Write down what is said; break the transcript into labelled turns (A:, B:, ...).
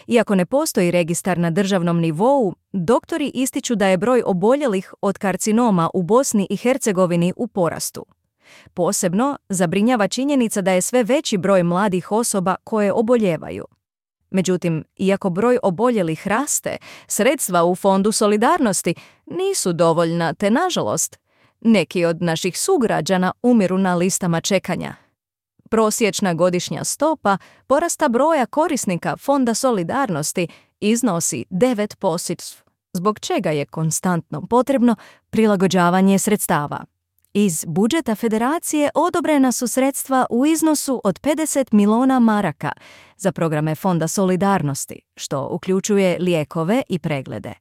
A: Iako ne postoji registar na državnom nivou, doktori ističu da je broj oboljelih od karcinoma u Bosni i Hercegovini u porastu. Posebno zabrinjava činjenica da je sve veći broj mladih osoba koje oboljevaju. Međutim, iako broj oboljelih raste, sredstva u Fondu solidarnosti nisu dovoljna te, nažalost, neki od naših sugrađana umiru na listama čekanja. Prosječna godišnja stopa porasta broja korisnika Fonda solidarnosti iznosi 9%, zbog čega je konstantno potrebno prilagođavanje sredstava. Iz budžeta federacije odobrena su sredstva u iznosu od 50 milijuna maraka za programe Fonda solidarnosti, što uključuje lijekove i preglede.